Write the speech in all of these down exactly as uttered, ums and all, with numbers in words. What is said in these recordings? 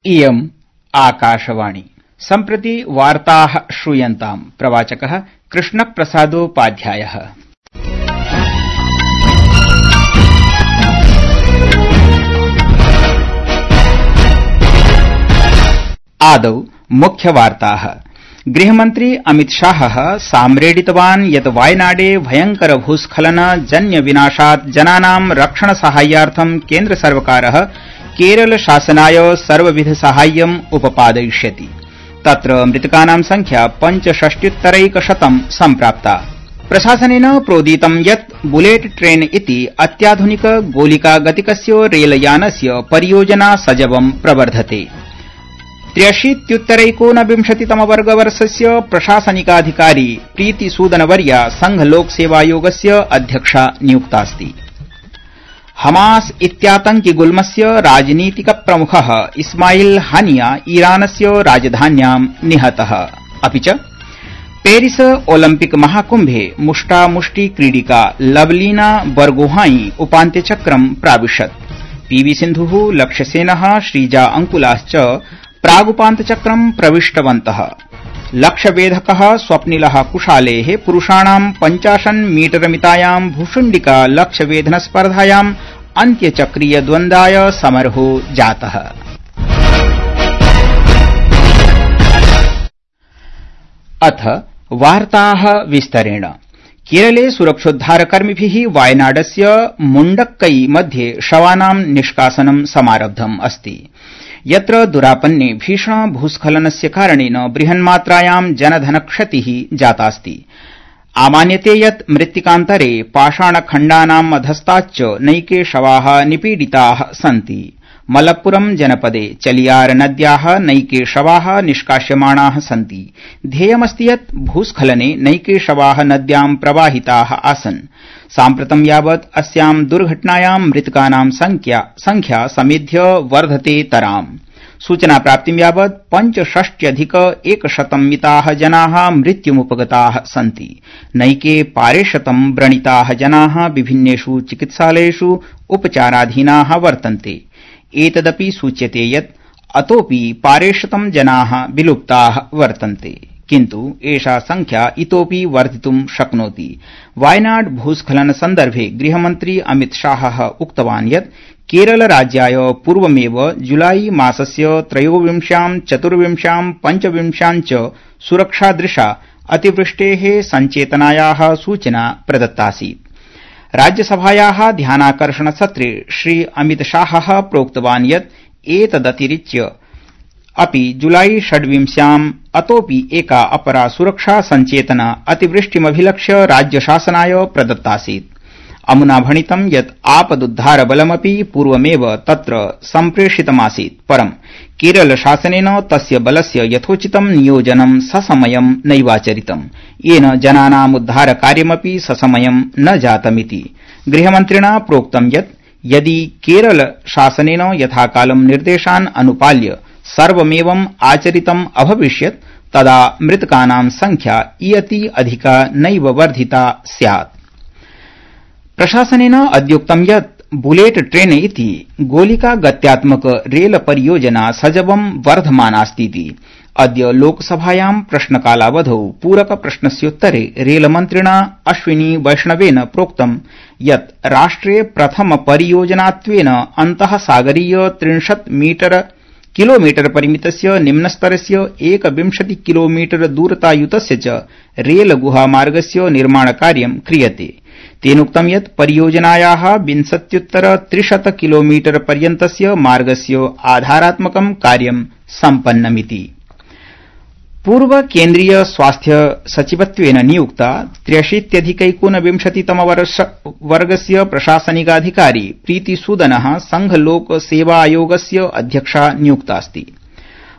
इयम् आकाशवाणी। सम्प्रति वार्ताः श्रूयन्ताम्। प्रवाचकः कृष्णप्रसादोपाध्यायः। आदौ मुख्यवार्ताः। गृहमन्त्री अमित शाहः साम्रेडितवान् यत् वायनाडे भयंकर भूस्खलन जन्य विनाशात् जनानां रक्षण साहाय्यार्थं केन्द्र सर्वकारः केरल शासनाय सर्वविध साहाय्यम् उपपादयिष्यति। तत्र मृतकानां संख्या पंचषष्ट्युत्तरैकशतं सम्प्राप्ता। प्रशासनेन प्रोदितं यत् बुलेट ट्रेन इति अत्याधुनिक गोलिकागतिकस्य रेलयानस्य परियोजना सजवं प्रवर्धते। त्र्यशीत्युत्तरैकोनविंशतितमवर्गवर्षस्य प्रशासनिकाधिकारी प्रीतिसूदनवर्या संघलोकसेवायोगस्य अध्यक्षा नियुक्तास्ति। हमास इत्यातंकिगुल्मस्य राजनीतिकप्रमुखः इस्माइल हानिया ईरानस्य राजधान्यां निहतः। अपि च पेरिस ओलम्पिक महाकुम्भे मुष्टामुष्टि क्रीडिका लवलीना बरगोहाई उपान्त्यचक्रं प्राविशत्। पीवी सिन्धुः, लक्ष्यसेनः, श्रीजा अंकुलाश्च प्रागुपान्तचक्रं प्रविष्टवन्तः। लक्ष्यवेधकः स्वप्निलः कुशालेः पुरुषाणां पञ्चाशन् मीटरमितायां भूषुण्डिका लक्ष्यवेधन स्पर्धायाम् अन्त्यचक्रीय द्वन्द्वाय समरो जातः। अथ वार्ताः विस्तरेण। केरले सुरक्षोद्धारकर्मिभिः वायनाडस्य मुण्डक्कै मध्ये शवानां निष्कासनं समारब्धम् अस्ति, यत्र दुरापन्ने भीषण भूस्खलनस्य कारणेन बृहन्मात्रायां जनधनक्षतिः जातास्ति। आमान्यते यत् मृत्तिकान्तरे पाषाणखण्डानाम् अधस्ताच्च नैके शवाः निपीडिताः सन्ति। मलप्पुरम जनपदे चलियार नद्याः नैके शवाः निष्कास्यमाणाः सन्ति। ध्येयमस्ति यत् भूस्खलने नैके शवाः नद्यां प्रवाहिताः आसन्। साम्प्रतं यावत् अस्यां दुर्घटनायां मृतकानां संख्या समेध्य वर्धतेतराम्। सूचनाप्राप्तिं यावत् पञ्चषष्ट्यधिक एकशतं मिताः जनाः मृत्युमुपगताः सन्ति। नैके पारेशतं व्रणिताः जनाः विभिन्नेषु चिकित्सालयेषु उपचाराधीनाः वर्तन्ते। एतदपि सूच्यते यत् अतोऽपि पारेशतं जनाः विलुप्ताः वर्तन्ते, किन्तु एषा संख्या इतोऽपि वर्धितुं शक्नोति। वायनाड भूस्खलन सन्दर्भे गृहमन्त्री अमित शाहः उक्तवान् यत् केरल राज्याय पूर्वमेव जुलाई मासस्य त्रयोविंश्यां चतुर्विंश्यां पञ्चविंश्यां च सुरक्षादृशा अतिवृष्टेः सञ्चेतनायाः सूचना प्रदत्तासीत्। राज्यसभायाः ध्यानाकर्षणसत्रे श्री अमित शाहः प्रोक्तवान् यत् एतदतिरिच्य अपि जुलाई षड्विंश्याम् अतोऽपि एका अपरा सुरक्षा सञ्चेतना अतिवृष्टिमभिलक्ष्य राज्यशासनाय प्रदत्तासीत्। अमुना भणितं यत् आपदुद्धारबलमपि पूर्वमेव तत्र सम्प्रेषितमासीत्, परं केरल शासनेन तस्य बलस्य यथोचितं नियोजनं ससमयं नैवाचरितम्, येन जनानाम् उद्धारकार्यमपि ससमयं न जातमिति। गृहमन्त्रिणा प्रोक्तं यत् यदि केरल शासनेन यथाकालं निर्देशान् अनुपाल्य सर्वमेवम् आचरितम् अभविष्यत् तदा मृतकानां संख्या इयती अधिका नैव वर्धिता स्यात्। प्रशासनेन अद्योक्तं यत् बुलेट ट्रेन इति गोलिका गत्यात्मक रेल परियोजना सजवं वर्धमानास्तीति। अद्य लोकसभायां प्रश्नकालावधौ पूरक प्रश्नस्योत्तरे रेलमन्त्रिणा अश्विनी वैष्णवेन प्रोक्तं यत् राष्ट्रे प्रथम परियोजनात्वेन अन्तःसागरीय त्रिंशत् मीटर किलोमीटर परिमितस्य निम्नस्तरस्य एकविंशति किलोमीटर दूरतायुतस्य च रेल गुहामार्गस्य निर्माणकार्यं क्रियते। तेनोक्तं यत् परियोजनायाः विंशत्युत्तर त्रिशत किलोमीटर पर्यन्तस्य मार्गस्य आधारात्मकं कार्यं सम्पन्नमिति। पूर्व केन्द्रीय स्वास्थ्य सचिवत्वेन नियुक्ता त्र्यशीत्यधिकैकोनविंशतितमवर्गस्य प्रशासनिकाधिकारी प्रीतिसूदनः संघलोकसेवायोगस्य अध्यक्षा नियुक्तास्ति।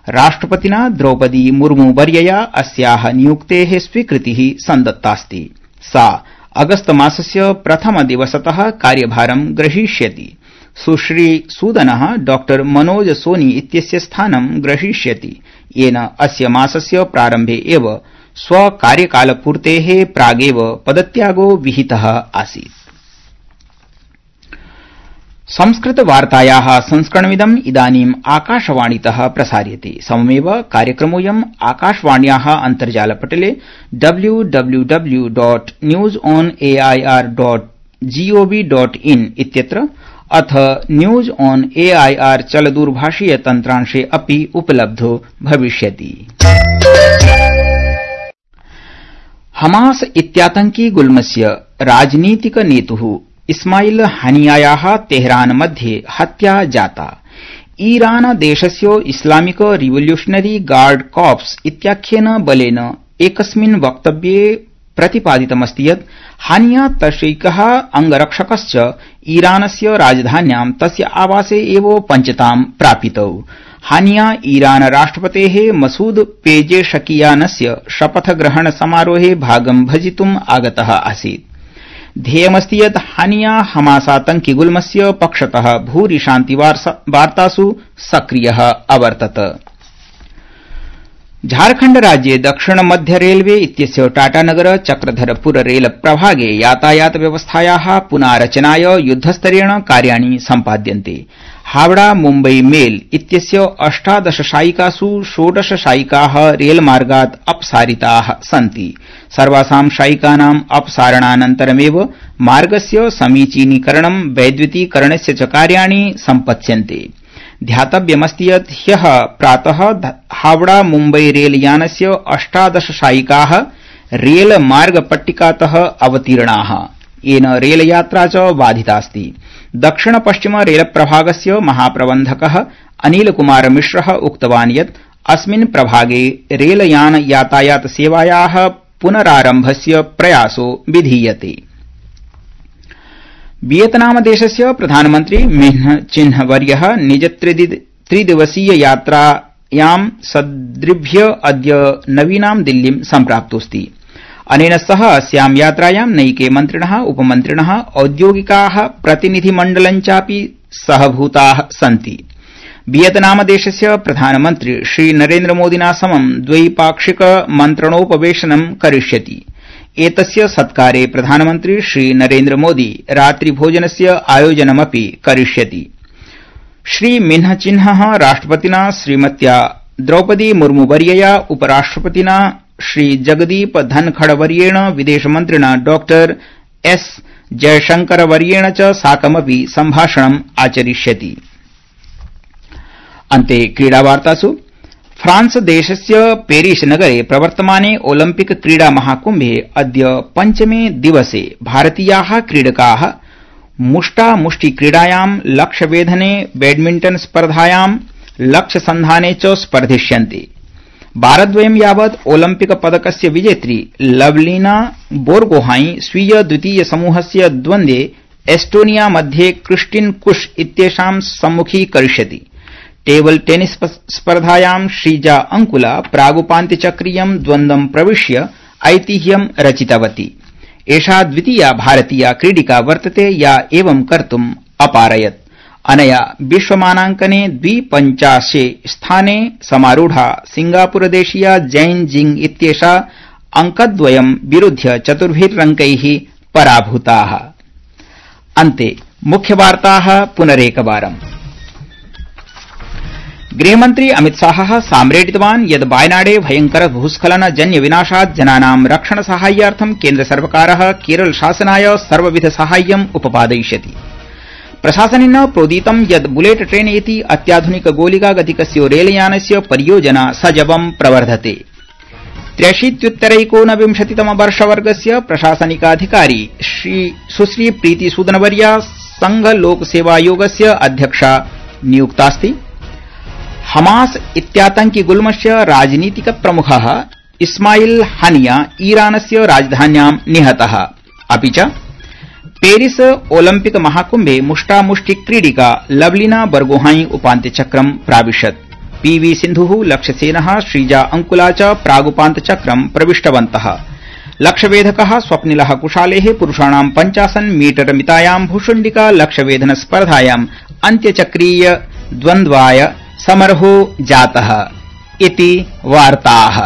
राष्ट्रपतिना द्रौपदी मुर्मुवर्यया अस्याः नियुक्तेः स्वीकृतिः सन्दत्तास्ति। सा अगस्त मासस्य प्रथमदिवसतः कार्यभारं ग्रहीष्यति। सुश्री सूदनः डॉ मनोज सोनी इत्यस्य स्थानं ग्रहीष्यति, येन अस्य मासस्य प्रारम्भे एव स्वकार्यकालपूर्तेः प्रागेव पदत्यागो विहितः आसीत्। संस्कृत वार्तायाः संस्करणमिदम् इदानीम् आकाशवाणीतः प्रसार्यते। सममेव कार्यक्रमोऽयम् आकाशवाण्याः अन्तर्जालपटले W W W dot news on A I R dot gov dot in इत्यत्र अथ news on A I R चलदूरभाषीय तन्त्रांशे अपि उपलब्धो भविष्यति। हमास इत्यातंकी गुल्मस्य राजनीतिक नेतुः इस्माइल हानियायाः तेहरान मध्ये हत्या जाता। ईरान देशस्य इस्लामिक रिवोल्यूशनरी गार्ड कॉर्प्स इत्याख्येन बलेन एकस्मिन् वक्तव्ये प्रतिपादितमस्ति यत् हानिया तस्यैकः अंगरक्षकश्च ईरानस्य राजधान्यां तस्य आवासे एव पञ्चतां प्रापितौ। हानिया ईरान राष्ट्रपतेः मसूद पेजेशकियानस्य शपथग्रहण समारोहे भागं भजितुम् आगतः आसीत्। ध्येयमस्ति यत् हानिया हमासातंकी गुल्मस्य पक्षतः भूरि शान्तिवार्तासु सक्रियः अवर्तत। झारखण्ड राज्ये दक्षिण मध्य रेलवे इत्यस्य टाटानगर चक्रधरपुर रेल प्रभागे यातायात व्यवस्थायाः पुनारचनाय युद्धस्तरेण कार्याणि सम्पाद्यन्ते। हावड़ा मुम्बई मेल इत्यस्य अष्टादश शायिकासु षोडश शायिकाः रेलमार्गात् अपसारिताः सन्ति। सर्वासां शायिकानाम् अपसारणानन्तरमेव मार्गस्य समीचीनीकरणं वैद्युतीकरणस्य च कार्याणि सम्पत्स्यन्ते। ध्यातव्यमस्ति यत् ह्यः प्रातः हावड़ा मुम्बई रेलयानस्य अष्टादश शायिकाः रेलमार्गपट्टिकातः अवतीर्णाः, येन रेलयात्रा च बाधितास्ति। दक्षिण पश्चिम रेलप्रभागस्य महाप्रबन्धकः अनिलकुमार मिश्रः उक्तवान् यत् अस्मिन् प्रभागे रेलयान यातायात सेवायाः पुनरारम्भस्य प्रयासो विधीयते। वियतनाम देशस्य प्रधानमन्त्री मिन्ह चिन्ह वर्यः निज त्रिदिवसीय यात्रायां सद्रिभ्य अद्य नवीनां दिल्लीं सम्प्राप्तोऽस्ति। अनेन सह अस्यां यात्रायां नैके मन्त्रिणः, उपमन्त्रिणः, औद्योगिकाः प्रतिनिधिमण्डलञ्चापि सहभूताः सन्ति। वियतनाम देशस्य प्रधानमन्त्री श्री नरेन्द्रमोदिना समं द्वैपाक्षिक मन्त्रणोपवेशनं करिष्यति। एतस्य सत्कारे प्रधानमन्त्री श्री नरेन्द्रमोदी रात्रिभोजनस्य आयोजनमपि करिष्यति। श्री मिन्ह चिन्हः राष्ट्रपतिना श्रीमत्या द्रौपदी मुर्मुवर्यया, उपराष्ट्रपतिना श्री जगदीप धनखड़वर्येण, विदेशमन्त्रिणा डॉक्टर एस जयशंकरवर्येण च साकमपि सम्भाषणम् आचरिष्यति। अन्ते क्रीडावार्तासु फ्रांस देशस्य पेरिस नगरे प्रवर्तमाने ओलम्पिक क्रीडा महाकुम्भे अद्य पञ्चमे दिवसे भारतीयाः क्रीडकाः मुष्टामुष्टि क्रीडायां, लक्ष्यवेधने, बैडमिण्टन स्पर्धायां, लक्ष्यसन्धाने च स्पर्धिष्यन्ते। वारद्वयं यावत् ओलम्पिक पदकस्य विजेत्री लवलीना बोर्गोहाई स्वीय द्वितीय समूहस्य द्वन्द्वे एस्टोनिया मध्ये क्रिस्टिन कुश इत्येषां सम्मुखीकरिष्यति। टेबल टेनिस स्पर्धायां श्रीजा अंकुला प्रागुपान्त्यचक्रीयं द्वन्द्वं प्रविश्य ऐतिह्यं रचितवती। एषा द्वितीया भारतीया क्रीडिका वर्तते या एवं कर्तुम् अपारयत्। अनया विश्वमानांकने द्विपञ्चाशे स्थाने समारूढा सिंगापुरदेशीया जैन जिंग इत्येषा अंकद्वयं विरुध्य चतुर्भिरंकैः पराभूताः। अन्ते मुख्यवार्ताः पुनरेकवारम्। गृहमन्त्री अमितशाहः साम्रेडितवान् यत् वायनाडे भयंकर भूस्खलन जन्य विनाशात् जनानां रक्षण साहाय्यार्थं केन्द्रसर्वकारः केरलशासनाय सर्वविध साहाय्यम् उपपादयिष्यति। प्रशासनेन प्रोदितं यत् बुलेट ट्रेन इति अत्याधुनिक गोलिका गतिकस्य रेलयानस्य परियोजना सजवं प्रवर्धते। त्र्यशीत्युत्तरैकोनविंशतितम वर्षवर्गस्य प्रशासनिकाधिकारी सुश्री प्रीति सूदनवर्या संघ लोकसेवायोगस्य अध्यक्षा नियुक्तास्ति। हमास इत्यातंकी गुल्मस्य राजनीतिक प्रमुखः इस्माइल हानिया ईरानस्य राजधान्यां निहतः। अपि च पेरिस ओलम्पिक महाकुम्भे मुष्टामुष्टि क्रीडिका लवलीना बर्गोहाई उपान्त्यचक्रं प्राविशत्। पीवी सिन्धुः, लक्ष्यसेनः, श्रीजा अंकुला च प्रागुपान्त्यचक्रं प्रविष्टवन्तः। लक्ष्यवेधकः स्वप्निलः कुशालेः पुरुषाणां पञ्चाशन् मीटर मितायां भूषुण्डिका लक्ष्यवेधन स्पर्धायां अन्त्यचक्रीय द्वन्द्वाय समरो जातः इति वार्ताः।